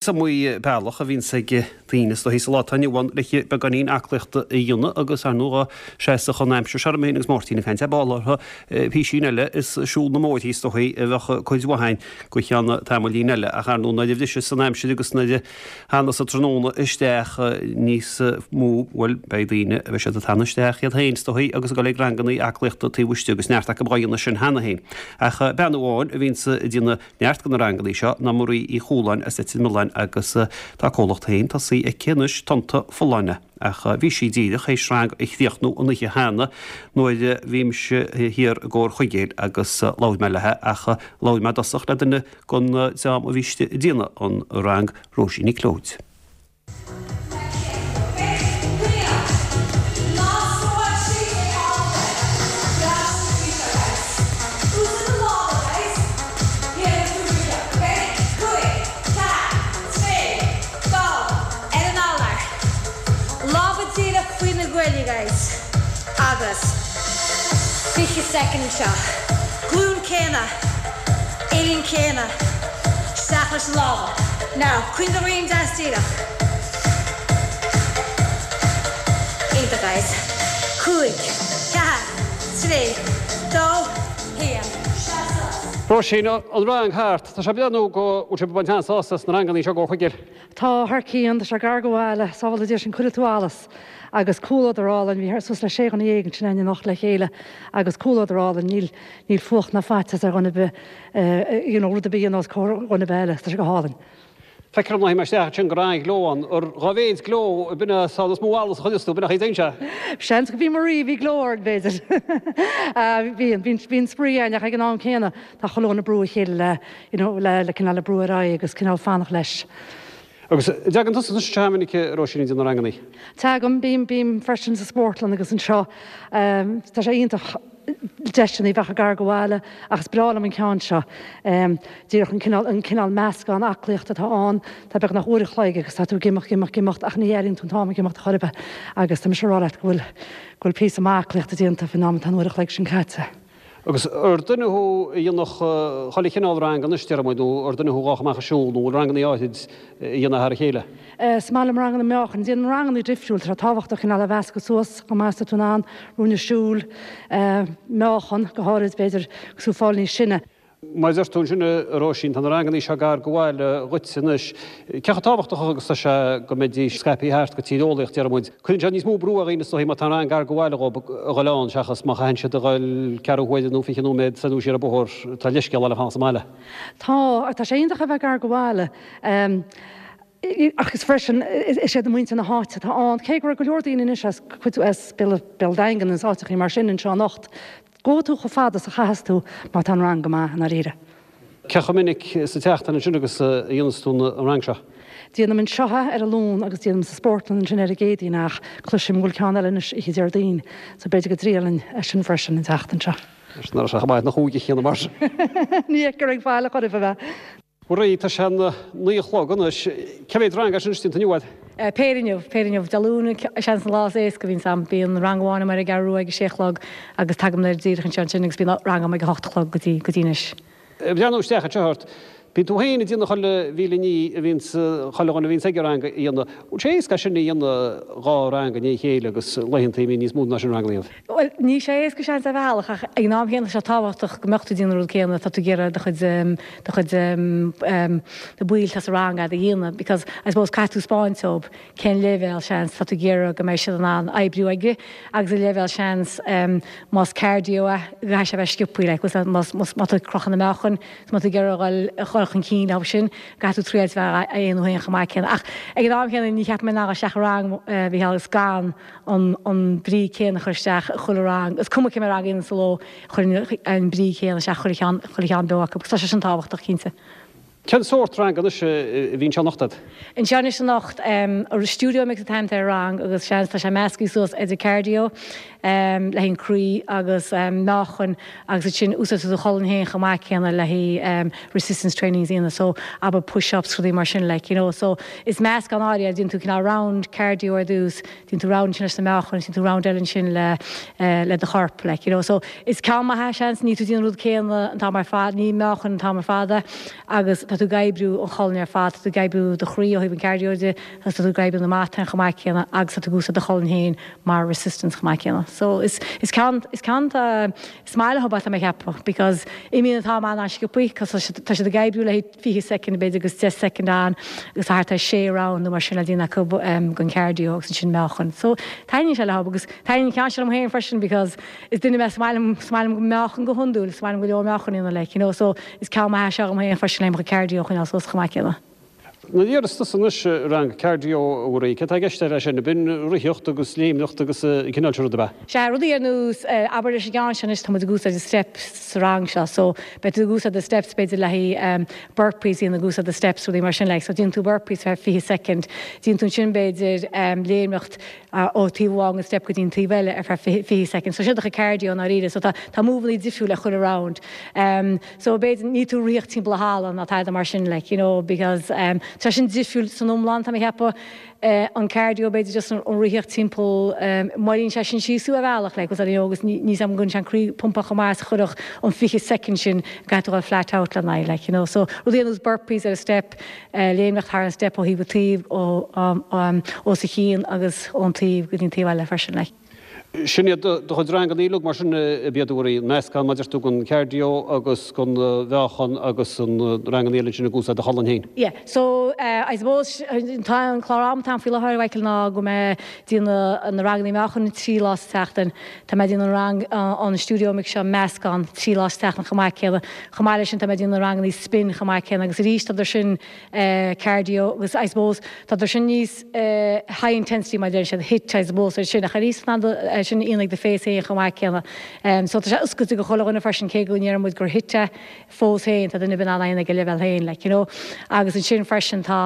Is iomaí bealach a bhíonns ag daoine is dóichí sa lá atá inniu ann le beagáinín aclaíochta a dhéanamh agus ar ndóigh seasadh an aimsir seo orm féin agus Máirtín ag caint ar ball orthu písín eile is siúl na mbóithrí is dóichí a bheadh cuid mhaith againn go ceann tamaillín eile ach ar ndóigh nuair a bhriseas an aimsir agus nuair a thanas an tráthnóna isteach níos mó bhuel beidh daoine a bheidh siad ag teannadh isteach iad féin is dóichí agus ag dul ag rangannaí aclaíochta taobh istigh agus neart acu dhá dhéanamh sin cheana féin ach bean amháin a bhíonns ag déanamh Neart de na rangannaí seo ná Marie Uí Chualáin as Leitir Mealláin agus tá a comhlacht féin tosaithe aici anois, Tonnta Folláine. Ach bhí sí díreach théis rang a chríochnú an oíche cheana nuair a bhí mise thiar i gComhar Chuigéil agus labhair mé léi ach labhair mé i dtosach le duine den dream a bhí istigh ag déanamh an rang, Róisín Nic Leoid. Uillinn céanna. Isteach leis na lámha. Now, coinnigh do dhroim deas díreach. Iontach, guys. 5, 4, 3, 2, 1. Seas suas. Róisín, an rang thart. Tá sé ag breathnú go bhfuil sibh ag baint an-sásamh as na rangannaí seo i gComhar Chuigéil. Tá, thar cionn. Tá sé gar do bhaile. Sábhála Dia sinn, cuirfidh tú allas. Agus comhluadar álainn. Bhí suas le sé dhuine dhéag ansin againn anocht le chéile agus comhluadar álainn. Níl, níl fuacht ná faitíos ar dhuine ar bith, you know, rud ar bith a dhéanamh os comhair dhuine ar bith eile. Tá sé go hálainn. Feictear dom nuair a théim isteach ansin go raibh an-ghleo ann. Ar dhá mhéid gleo, b'in é an is mó allas a chuireas tú, b'in é a chaoi a dtéann sé. Seans go bhí Marie, bhí gleo orainn, b'fhéidir. Bíonn, bíonn, bíonn spraoi againn ach ag an am céanna tá chuile dhuine ag brú a chéile le, you know, le, le cineál le brú ar aghaidh agus cineál fanacht leis. Agus an dtagann tusa anseo go minic, a Róisín, ag déanamh na rangannaí? Tagaim, bím, bím freisin sa spórtlann agus anseo. Tá sé iontach deiseanna a bheith gar do bhaile ach is breá liom an ceann seo. Díreach an cineál, an cineál meascán aclaíochta atá ann, tá beagnach uair a chloig agus tá tú ag imeacht, imeacht, imeacht ach ní airíonn tú an t-am ag imeacht chor ar bith agus tá mise ag rá leat go bhfuil, go bhfuil píosa maith aclaíochta déanta faoin am atá an uair a chloig sin caite. Agus ar duine thú a dhéanfadh chuile chineál rang anois, déarfaidh muid, nó ar duine thú a ghabhfadh amach ag siúl, nó bhfuil rangannaí áithrid a dhéanamh thar a chéile? Is maith liom ranganna meáchain. Déanaim ranganna difriúil. Tá sé tábhachtach cineál a mheascadh suas chomh maith is atá tú in ann, ruainne siúil, meáchan, go háirid, b'fhéidir, agus tú ag fáil níos sine. Mar a deir tú ansin, a Róisín, tá na rangannaí seo gar do bhaile dhuit anois. Cé chomh tábhachtach agus tá sé go mbeidís scaipthe thart go tíreolaíoch, déarfaidh muid. Cuireann sé níos mó brú ar dhaoine is dóichí má tá an rang gar do bhaile dhóibh a dhul ann seachas má chaitheann siad a dhul ceathrú huaire nó 20 nóiméad soir nó siar an bóthar, tá leithscéal le fanacht sa mbaile. Tá, tá sé iontach a bheith gar do bhaile. Ach is freisin, is iad muintir na háite atá ann, cé go raibh go leor daoine anois as cuid as Béal Daingean agus áiteachaí mar sin anseo anocht. Gabhfaidh tú chomh fada is a chaitheas tú má tá an rang go maith, i ndáiríre. Cé chomh minic sa tseachtain ansin agus a dhéanas tú an rang seo? Déanaim anseo é ar an Luan agus déanaim sa spórtlann ansin ar an gCéadaoin ach cloisim go bhfuil ceann eile anois oíche Déardaoin so b'fhéidir go dtriailfinn é sin freisin an tseachtain seo. Is nach raibh sé chomh maith na chúige chéanna mar sin. Ní fheictear ag fáil a chor ar bith. Bhuel, tá sé a 9 a chlog anois. Cé mhéad rang as sin déanta inniu agat? Péire inniu, péire inniu. Dé Luain seans an lá is éasca a bhíonns a'm. Bíonn rang amháin a'm ar an gCeathrú Rua ag a sé a chlog agus tagaim anoir díreach anseo ansin agus bíonn rang a'm ag a hocht a chlog go dtí, go dtí anois. Ag breathnú isteach anseo ort, bíonn tú féin ag déanamh chuile mhíle ní a bhíonns, chuile dhuine a bhíonns ag an rang a dhéanamh. Bhfuil sé éasca é sin a dhéanamh, dhá rang i ndiaidh a chéile agus laethanta a mbíonn níos mó ná sin ranganna agat? Bhuel, níl sé éasca seans ar bhealach ach ag an am chéanna tá sé tábhachtach go mbeadh tú ag déanamh an rud céanna tá tú ag iarraidh do chuid, do chuid, na baill atá sa rang agat a dhéanamh because I suppose caithfidh tú 'spáint dóibh cén leibhéal seans tá tú ag iarraidh go mbeidh siad in ann oibriú aige agus an leibhéal seans más cardio é go gcaithfidh sé a bheith sciobthaí like más, más, má tá tú ag crochadh na meáchain is má tá tú ag iarraidh a dhul chun cinn leo sin caithfidh tú triail a bheith á dhéanamh féin chomh maith céanna ach ag an am chéanna ní cheapaim mé nach isteach i rang a Mhícheáil agus gan an an brí céanna a chur isteach i chuile rang, is cuma cé mhéad rang a dhéanann sa ló, chuirfinn an brí céanna isteach chuile cheann, chuile cheann beo acu agus tá sé sin tábhachtach, cinnte. Cén sórt rang anois a bhí anseo anocht agat? Anseo anois anocht, Studio Mix an t-ainm atá ar an rang agus seans tá sé measctha suas idir cardio le haghaidh an croí agus meáchan agus ansin úsáidtear do cholainn féin chomh maith céanna le haghaidh resistance training a dhéanamh so abair push ups rudaí mar sin like you know so is meascán áirithe déanann tú cineál round cardio ar dtús Déanann tú round ansin leis na meáchain, déanann tú round eile ansin le le do chorp like you know so is ceann maith é seans, níl tú ag déanamh an rud céanna an t-am ar fad, ní meáchan an t-am ar fad é agus. tá tú ag oibriú an cholainn ar fad, tá tú ag oibriú do chroí ó thaobh an cardio de agus tá tú ag oibriú na matáin chomh maith céanna agus tá tú ag úsáid do cholainn féin mar resistance chomh maith céanna. So is is ceann is ceann is maith leo tá mé ag ceapadh because imíonn an t-am an-sciobthaí cos tá siad ag oibriú le 20 soicind b'fhéidir agus 10 soicind ann agus tá thart ar 6 round nó mar sin le déanamh acu den cardio agus ansin meáchan. So taitníonn sé leo agus taitníonn an ceann seo liom féin freisin because is duine mé is maith liom is maith liom meáchan go hiondúil, is maith liom go leor meáchan a dhéanamh like you know so is ceann maith é seo dhom féin freisin le mo chuid cardio a choinneáil suas chomh maith céanna. Nuair a deireas tusa anois rang cardio a Mharie, céard tá i gceist leis sin? Ab in ritheacht agus léimneacht agus an cineál sin rud ab ea? Sea, rudaí ar nós, abair leis an gceann seo anois, tá muid ag úsáid an steps sa rang seo, so beidh tú ag úsáid na steps b'fhéidir le haghaidh burpees a dhéanamh ag úsáid na steps, rudaí mar sin like, so déanann tú burpees ar feadh 20 soicind, déanann tú ansin b'fhéidir léimneacht ó taobh amháin den step go dtí an taobh eile ar feadh 20 soicind, so sin do chuid cardio i ndáiríre, so tá tá moveannaí difriúil ar chuile round. So b'fhéidir níl tú ag ritheacht timpeall an halla ná tada mar sin like you know because tá sin difriúil san iomlán tá mé ag ceapadh. An cardio b'fhéidir just an ritheacht timpeall moillíonn sé sin síos thú ar bhealach like you know agus níl 's agam an gcuireann sé an croí pumpáil chomh maith is a chuirfeadh an 20 soicind sin go gcaithfidh tú a dhul flat out lena aghaidh like you know. So rudaí ar nós burpees ar an step, léimneacht thar an step ó thaobh go taobh ó os a chionn agus ón taobh go dtí an taobh eile freisin like. Sin iad do chuid ranganna uilig mar sin ab iad a Mharie, meascán mar a deir tú den cardio agus den mheáchan agus an ranganna eile ansin ag úsáid do cholainn féin. Yeah, so I suppose tá an clár ama atá ann faoi láthair, Michael, ná go mbeidh mé ag déanamh na ranganna meáchain 3 lá sa tseachtain. Tá mé ag déanamh an rang an stiúideo mix seo meascán 3 lá sa tseachtain chomh maith céanna. Chomh maith leis sin tá mé ag déanamh na ranganna spin chomh maith céanna agus arís tá sin cardio agus I suppose tá sin níos high intensity mar a deireann siad, HIIT I suppose ar sin ach arís san am sin a dhéanamh ag do phace féin chomh maith céanna. So tá sé oscailte go chuile dhuine freisin cé go ndeireann muid gur HIIT é fós féin tá duine ar bith in ann é a dhéanamh ag a leibhéal féin like you know. Agus ansin freisin tá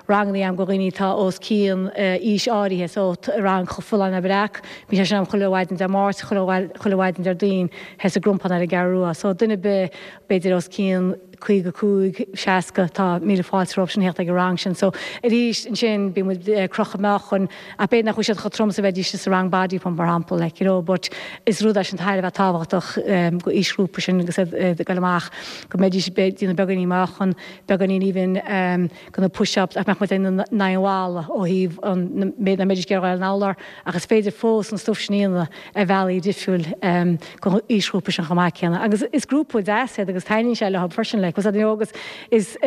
ranganna agam go dhaoine atá os cionn aois áirithe so rang Folláine Breac, bíonn sé sin agam chuile mhaidin Dé Máirt, chuile mhaidin Déardaoin thoir sa gCrompán ar an gCeathrú Rua. So duine ar bith b'fhéidir os cionn 55, 60, tá míle fáilte rompu sin theacht ag an rang sin. So, arís ansin, bíonn muid ag crochadh meáchain, ach b'fhéidir nach bhfuil siad chomh trom is a bheidís sa rang body pump, mar shampla, like, you know, but is rud é sin thar a bheith tábhachtach go aoisghrúpa sin agus iad ag dul amach, go mbeidís ag déanamh beagáinín meáchan, beagáinín even go na push-ups, ach mbeadh muid in aghaidh an bhalla ó thaobh an méid nach mbeidís ag iarraidh a dhul ar an urlár, ach is féidir fós an stuif sin a dhéanamh ar bhealaí difriúil go aoisghrúpa sin chomh maith céanna. Agus is grúpa deas iad agus taitníonn sé leo freisin like, you know, agus is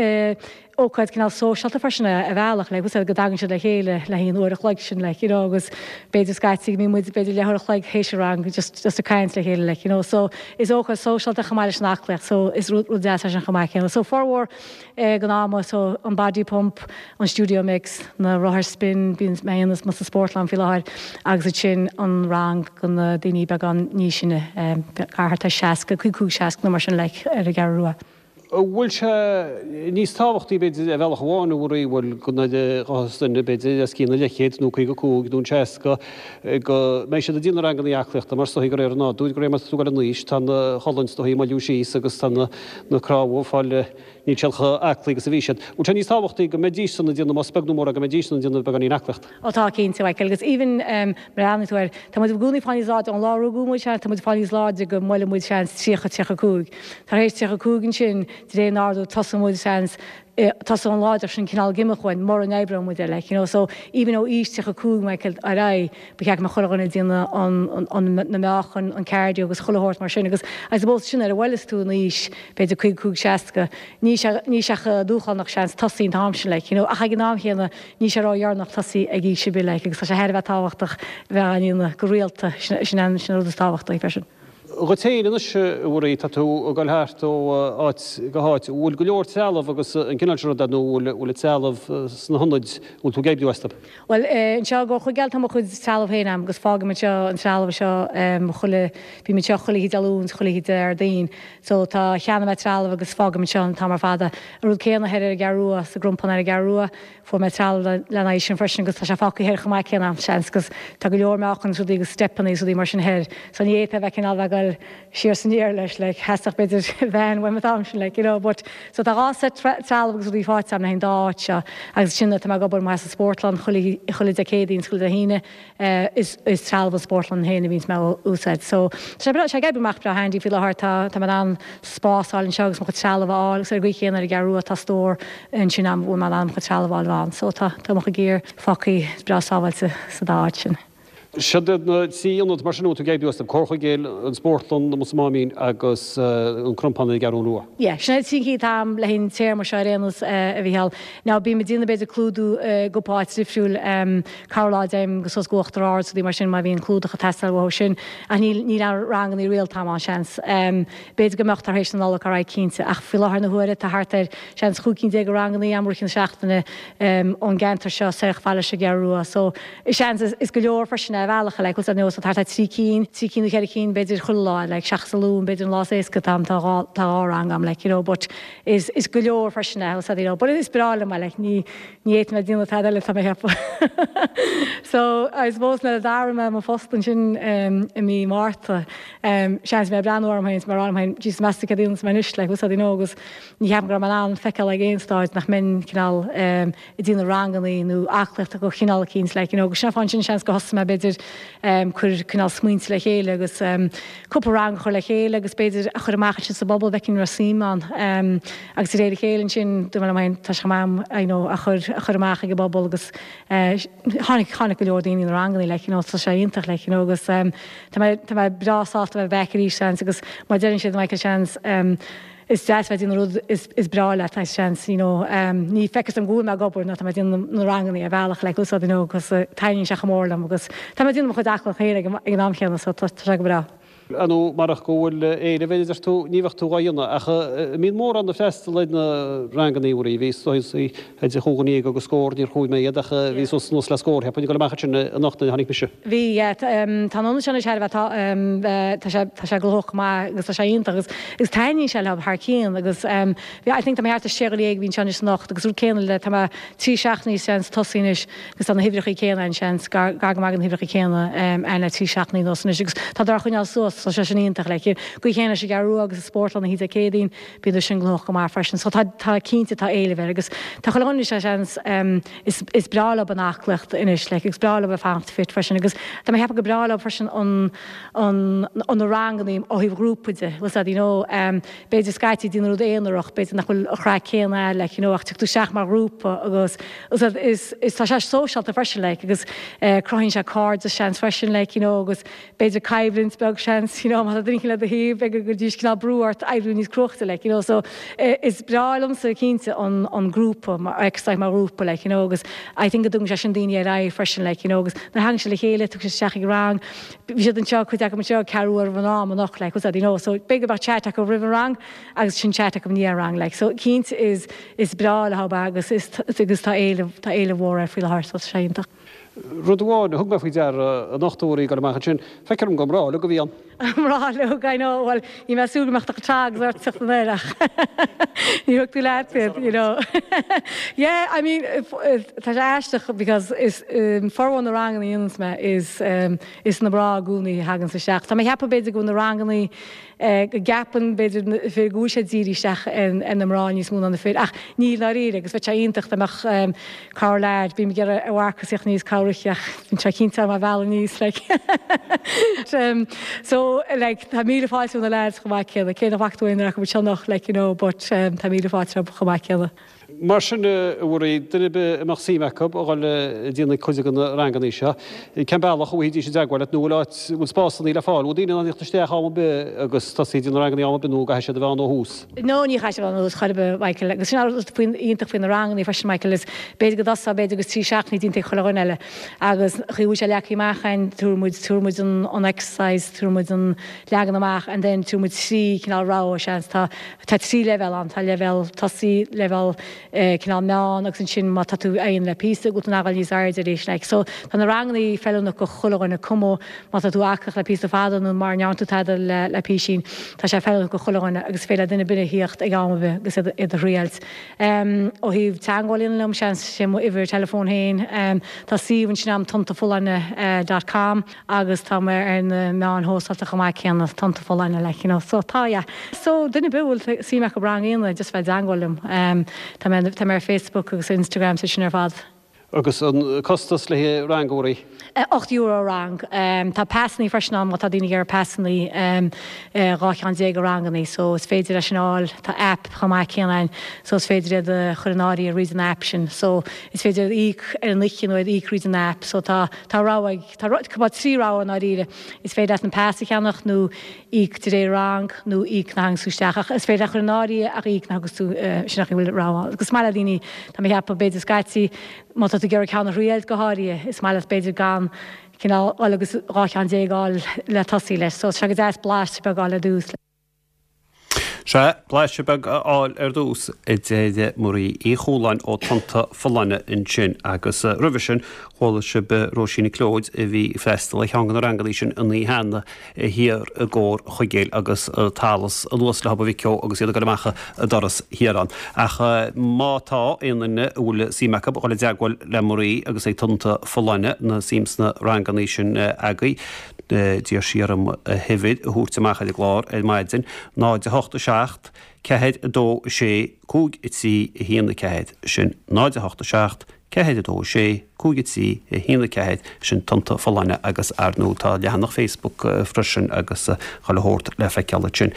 ócáid cineál sóisialta freisin é ar bhealach like, go dtagann siad le chéile le haghaidh an uair a chloig sin like, you know, agus b'fhéidir scaití go mbíonn muid b'fhéidir leathuair a chloig théis an rang just just ag caint le chéile like, you know, so is ócáid sóisialta chomh maith leis an aclaíocht so is rud deas é sin chomh maith céanna. So formhór den ama so an body pump, an studio mix, na rothair spin, bíonn mé a dhéanamh sa spórtlann faoi láthair agus ansin an rang go na daoine beagán níos sine, thart ar 60, 55, 60 nó mar sin like ar an gCeathrú Rua. An bhfuil sé níos tábhachtaí b'fhéidir ar bhealach amháin a Mharie, bhuel go nuair a ghabhfas duine b'fhéidir os cionn an leathchéid nó 55 nó an 60 go mbeidh siad ag déanamh ranganna aclaíochta mar is dóichí de réir an nádúir, de réir mar atá tú ag dul in aois tá an cholainn is dóichí ag moilliú síos agus tá na cnámha ag fáil Níl siad chomh aclaí agus a bhí siad. Bhfuil sé níos tábhachtaí go mbeidís san ag déanamh, más beag nó mór é, go mbeidís san ag déanamh beagáinín aclaíocht? Ó tá, cinnte, Michael, agus even mar a bhreathnaigh tú air, tá muid i gcónaí ag fáil níos láidre, ón lá a rugadh muid, seans, tá muid ag fáil níos láidre go mbuaileann muid, seans, 30, 35. Tar éis 35 ansin, de réir nádúir, tosaíonn muid, seans, tosaíonn an láidreacht sin cineál ag imeacht uainn, mura n-oibreoidh muid air, like, you know, so even ó aois 35, Michael, ar aghaidh, Ba cheart go mbeadh chuile dhuine ag déanamh na meáchain, an cardio agus chuile shórt mar sin agus I suppose sin nuair a bhuaileas tú in aois b'fhéidir 55, 60, níl sé, níl sé chomh dúshlánach seans tosaí an t-am sin like, you know ach ag an am chéanna níl sé ródheireanach tosaí ag aois ar bith like agus tá sé thar a bheith tábhachtach bheith á ndéanamh go rialta, sin, sin an rud is tábhachtaí freisin. Dhuit féin anois, a Mharie, tá tú ag dul thart ó áit go háit. An bhfuil go leor trealamh agus an cineál sin ruda nó an bhfuil an trealamh sna hionaid, an bhfuil tú ag oibriú astu? Bhuel, anseo i gCorr Chuigéil tá mo chuid trealamh féin agam agus fágaim anseo an trealamh seo chuile, bím anseo chuile oíche Dé Luain 's chuile oíche Déardaoin. So tá, cheannaigh mé trealamh agus fágaim anseo an t-am ar fad é. An rud céanna thoir ar an gCeathrú Rua, sa gCrompán ar an gCeathrú Rua, fuair mé trealamh lena aghaidh sin freisin agus tá sé fágtha thoir chomh maith céanna agam, seans, agus tá go leor meáchan is rudaí agus steipeanna is rudaí mar sin thoir. So ní fhéadfá a bheith cineál bheith ag goil. bhuel, siar is aniar leis, like, theastódh b'fhéidir veain uaim an t-am sin, like, you know, but, so tá 2 set trealamh agus rudaí faighte agam le haghaidh an dá áit seo agus ansin tá mé ag obair amuigh sa spórtlann chuile, chuile Dé Céadaoin is chuile Dé hAoine, is, is trealamh an spórtlann féin a bhíonns mé a úsáid. So, tá sé breá, tá sé ag oibriú amach breá handy faoi láthair, tá, tá mé in ann spás a fháil anseo agus mo chuid trealamh a fháil agus ar an gcaoi chéanna ar an gCeathrú Rua tá stór ansin agam a bhfuil mé in ann mo chuid trealamh a fháil ann. So tá, tá mo chuid gear fágtha breá sábháilte sa dá áit sin. Siod iad na trí ionad mar sin a bhfuil tú ag oibriú astu, Comhar Chuigéil, an Spórtlann amuigh sa Máimín agus an Crompán ar an gCeathrú Rua. Yeah, sin iad trí cinn atá agam le haghaidh an téarma seo ar aon nós, a Mhícheáil. Now bím ag déanamh b'fhéidir clúdú i gcúpla áit difriúil, corruair lá dtéim go suas go Uachtar Ard is rudaí mar sin má bhíonn clúdach ag teastáil uathu sin. Ach níl, níl aon rangannaí rialta agam ann, seans. B'fhéidir go mbeadh tar éis na Nollag ar aghaidh cinnte, ach faoi láthair na huaire tá thart ar, seans, 15 cinn de rangannaí agam i rith na seachtaine ón gceantar seo soir chomh fada leis an gCeathrú Rua. So, seans, is go leor freisin ar bhealach, like, bhfuil 's a'd, so thart ar trí cinn, trí cinn nó cheithre cinn b'fhéidir chuile lá, like, seachas an Luan, b'fhéidir an lá is éasca atá agam, tá dhá, tá dhá rang agam, like, you know, but is, is go leor freisin é, bhfuil 's a'd, you know, but is breá liom é, like, ní, ní fhéadfainn a bheith ag déanamh tada eile tá mé a cheapadh. So, I suppose nuair a d'athraigh mé mo phost ansin em, i mí Márta, em, seans mé ag breathnú orm féin is mé ag rá liom féin, Jesus meas tú céard a dhéanfas mé anois, like, bhfuil 's a'd, you know, agus ní cheapaim go raibh mé in ann feiceáil ag aon stáid nach mbeinn cineál em, ag déanamh rangannaí nó aclaíochta de chineál eicínt like you know agus sin an fáth ansin seans gur thosaigh mé b'fhéidir em cur cineál smaointe le chéile agus em cúpla rang a chur le chéile agus b'fhéidir a chur amach ansin sa bpobal bhfeicfinn an raibh suim ann em agus de réir a chéile ansin dúirt mé liom féin tá sé chomh maith you know a chur a chur amach ag an bpobal agus eh tháinig tháinig go leor daoine na rangannaí like you know tá sé iontach like you know agus em tá mé tá mé breá sásta bheith back arís seans agus mar deireann siad Michael seans em Is deas bheith ag déanamh rud is breá leat, I seans, you know, ní feictear dom go bhfuil mé ag obair nó tá mé ag déanamh na rangannaí ar bhealach like úsáid, you know, agus taitníonn sé chomh mór liom agus tá mé ag déanamh mo chuid aclaíochta féin ag an am chéanna so tá sé go breá. Ar ndóigh, marach go bhfuil éileamh air a deir tú, ní bheadh tú dhá dhéanamh. Ach an mbíonn mórán ag freastal ar na rangannaí, a Mharie? Bhí suas idir chúig dhuine dhéag agus scór, níor chuaigh mé iad ach bhí suas anuas le scór, cheapfainn, ag dul amach ansin anocht nuair a tháinig mise. Bhí, yeah. Tá an ionad seo anois thar a bheith, tá, tá sé, tá sé gnóthach go maith agus tá sé iontach agus, agus taitníonn sé leo thar cionn agus bhí, I think tá mé thart ar sé dhuine dhéag a bhí anseo anois anocht agus rud céanna le, tá mé trí seachtainí seans tosaithe anois agus tá na huimhreacha céanna ann seans, gar, gar go maith do na huimhreacha céanna ann le trí seachtainí anuas anois agus tá á choinneáil suas, tá sé sin iontach like. Gcaoi chéanna leis an gCeathrú Rua agus an Spórtlann oíche Dé Céadaoin, bíonn sin gnóthach go maith freisin. So tá, tá cinnte tá éileamh air agus tá chuile dhuine anois seans, Is is breá leo an aclaíocht anois like agus breá leo bheith fanacht fit freisin agus tá mé ag ceapadh gur breá leo freisin an an an na rangannaí ó thaobh ghrúpa de bhfuil 's a'd you know b'fhéidir scaití déanamh rud aonarach b'fhéidir nach bhfuil an chraic céanna a'd like you know ach tiocfaidh tú isteach mar ghrúpa agus bhfuil 's a'd is is tá sé sóisialta freisin like agus cruthaíonn sé cairdeas seans freisin like you know agus b'fhéidir coimhlint beag seans, you know, má tá duine éicint le do thaobh, b'fhéidir go gcuirfidís cineál brú ort oibriú níos cruaichte, like, you know, so is breá liomsa cinnte an an grúpa, mar exercise mar ghrúpa, like, you know, agus I think go dtugann sé sin daoine ar aghaidh freisin, like, you know, agus nuair a thagann siad le chéile, tugann siad isteach ag rang, bhí siad anseo, cuid acu anseo ceathrú roimh an am anocht, like, what's that, you know, so b'fhéidir go mbeadh chat acu roimh an rang agus sin chat acu i ndiaidh an rang, like, so cinnte is is breá leo agus is agus tá éileamh tá éileamh mhór air faoi láthair, so tá sé iontach. Rud amháin a thug mé faoi deara anocht a Mharie ag dul amach ansin, feictear dom gur mná uilig a bhí ann. Mná uilig, I know, bhuel, bhí mé ag súil go mbeadh do chuid trags ort teacht anoir ach níor thug tú leat iad, you know. Yeah, I mean, tá sé aisteach because is formhór na ranganna a dhéananns mé is is na mná i gcónaí a thaganns isteach. Tá mé ag ceapadh b'fhéidir go bhfuil na rangannaí go gceapann, b'fhéidir, na fir go bhfuil sé dírithe isteach ar na mná níos mó ná na fir, ach níl dáiríre, agus bheadh sé iontach dá mbeadh corr leaid, bím ag iarraidh ar Mharcas theacht aníos cabhrú ach bíonn sé cinnte ar mo bhealach aníos, like. So, like, tá míle fáilte roimh na leaids chomh maith céanna, cé nach bhfaca tú aon duine acu anseo anocht, like, you know, but tá míle fáilte rompu chomh maith céanna. Mar sin, a Mharie, duine ar bith a mbeadh suim acu a dhul ag déanamh cuid de na rangannaí seo, cén bealach a bhfaighidís i dteagmháil leat nó bhfuil áit, bhfuil spásannaí le fáil? Bhfuil daoine in ann theacht isteach am ar bith agus tosaí ag déanamh na rangannaí am ar bith nó an gcaithfidh siad a bheith ann ó thús? No, ní chaithfidh siad a bheith ann ó thús chor ar bith, Michael. Agus sin an rud faoin, iontach faoi na rangannaí freisin, Michael, is b'fhéidir go dtosófá b'fhéidir agus trí seachtainí déanta ag chuile dhuine eile agus an chaoi a bhfuil sé leagtha amach againn, tabharfaidh muid, tabharfaidh muid an, an exercise, tabharfaidh muid an leagan amach and then tabharfaidh muid trí chineál rogha, seans, tá, Tá trí leibhéal ann, tá leibhéal tosaigh, leibhéal cineál meán agus ansin má tá tú á dhéanamh le píosa go bhfuil tú in ann a ghabháil níos airde arís like. So tá na rangannaí feiliúnach go chuile dhuine, cuma má tá tú aclaí le píosa fada nó mara ndearna tú tada le le písín, tá sé feiliúnach go chuile dhuine agus is féidir le duine ar bith a thíocht ag am ar bith agus iad iad a thriailt. Ó thaobh teagmháil a dhéanamh liom, seans, sé mo uimhir teileafóin féin. Tá suíomh ansin agam tonntafolláine dot com agus tá mé ar na meáin shóisialta chomh maith céanna, Tonnta Folláine like you know. So tá, yeah. So duine ar bith a bhfuil suim acu rang a dhéanamh, just bheith i dteagmháil liom. Tá mé, tá mé ar Facebook agus Instagram is sin ar fad. Agus an costas le haghaidh rang a Mharie? €8 rang. Tá pasannaí freisin ann má tá daoine ag iarraidh pasannaí, 12 cheann de rangannaí so is féidir é sin a fháil. Tá app chomh maith céanna ann so is féidir iad a chur in áirithe thríd an app sin. So is féidir iad a íoc ar an oíche nó iad a íoc thríd an app. So tá tá rogha ag, tá trí rogha i ndáiríre. Is féidir leat an pas a cheannach nó íoc de réir rang nó íoc nuair a thaganns tú isteach ach is féidir leat chur in áirithe ach íoc nuair a thagas tú sin nach bhfuil rogha ann. Agus is maith le daoine, tá mé ag ceapadh b'fhéidir scaití má tá tú ag iarraidh ceann a thriailt go háirithe is maith leat b'fhéidir gan cineál dhul agus 12 cheann a fháil le tosaí leis so tá sé go deas blaiseadh beag a fháil ar dtús. Sea, blaiseadh beag a fháil ar dtús, a deir Marie Uí Chualáin ó Tonnta Folláine ansin agus roimhe sin chuala sibh Róisín Nic Leoid a bhí ag freastal ar cheann de na rangannaí sin an oíche cheana thiar i gComhar Chuigéil agus t-allas anuas le Hob an Mhic Eo agus iad ag dul amach an doras thiar ann. Ach má tá aon duine a bhfuil suim acu dhul i dteagmháil le Marie agus ag Tonnta Folláine nó suim sna rangannaí sin agaibh, D'iarr sí orm a huimhir a thabhairt amach ar an gclár ar maidin, 0 8 7 4 2 6 5 3 1 4, sin 0 8 7 4 2 6 5 3 1 4, sin Tonnta Folláine agus ar ndóigh tá leathanach Facebook freisin agus chuile shórt le feiceáil ansin.